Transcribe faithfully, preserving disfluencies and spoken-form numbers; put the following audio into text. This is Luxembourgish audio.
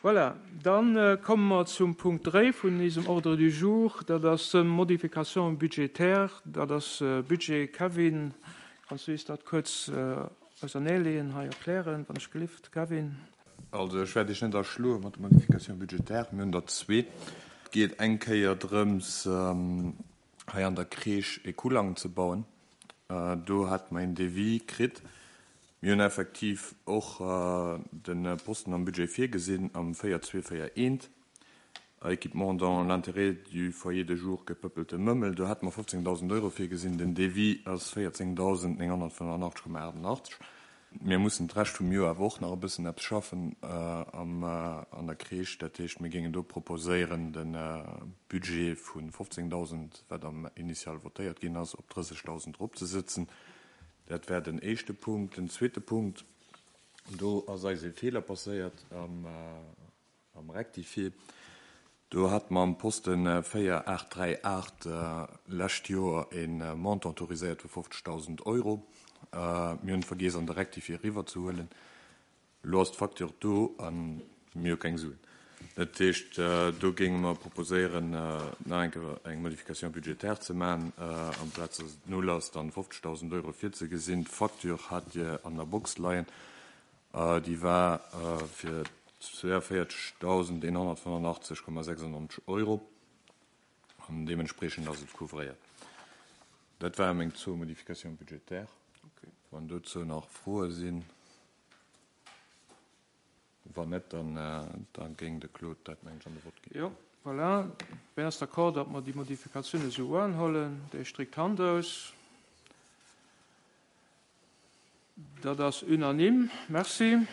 Voilà, dann komme mer zum Punkt dräi vun eisem Ordre du jour. Dat ass Modification budgétaire. Dat ass Budget. Kevin, kanns du eis dat kuerz auserneeleeën, hei erklären, wann ech gelift, Kevin? Also ech wäert Iech net erschloe mat de Modifications budgétaires. Mir hunn der zwee. Et geet eng Kéier drëms, hei an der Crèche e Kullang ze bauen. Do hate mer een Devis kritt. Mir hunn effektiv och de Posten am Budget virgesinn, am véier zwee véier eent, Équipement dans l'intérêt du foyer de jour Gepëppelte Mëmmel. Do hate mer fofzéngdausend Euro virgesinn. Den Devis ass véierzéngdausend nénghonnertfënnefenachtzeg Komma aachtendachtzeg. Mir mussen d'Rescht vum Joer awer och nach e bëssen eppes schaffen an der Crèche. Dat heescht, mir géingen do proposéieren, de Budget vu fofzéngdausend, wat am Initial votéiert ginn ass, op drëssegdausend eropzesëtzen. Dat wär den éischte Punkt. Den zweete Punkt, do ass eis e Feeler passéiert am Rectifié. Do hate mer am Posten véier aacht dräi aacht lescht Joer e Montant autoriséiert vu fofzegdausend Euro. Mir hunn vergiess, an de Rectifié eriwwerzehuelen. Elo ass d'Facture do a mir hu keng Suen. Dat heescht, do géinge mer proposéieren, nach eng Kéier eng Modification budgétaire ze maachen, amplaz dass et null ass, dann fofzegdausend Euro virzegesinn. D'Facture hat Dir an der Box leien. Déi war fir zwouanvéierzegdausend eenhonnertfënnefenachtzeg Komma sechsundneunzeg Euro an deementspriechend ass et couvréiert. Dat ware meng zwou Modifications budgétaires. Wann dozou nach Froe sinn. Wann net, dann da géing de Claude dat, mengen ech, an de Vott ginn. Jo, voilà. Wien ass d'accord, datt mer déi Modifikatioun esou unhuelen? Dee streckt d'Hand aus. Dat ass unanime. Merci.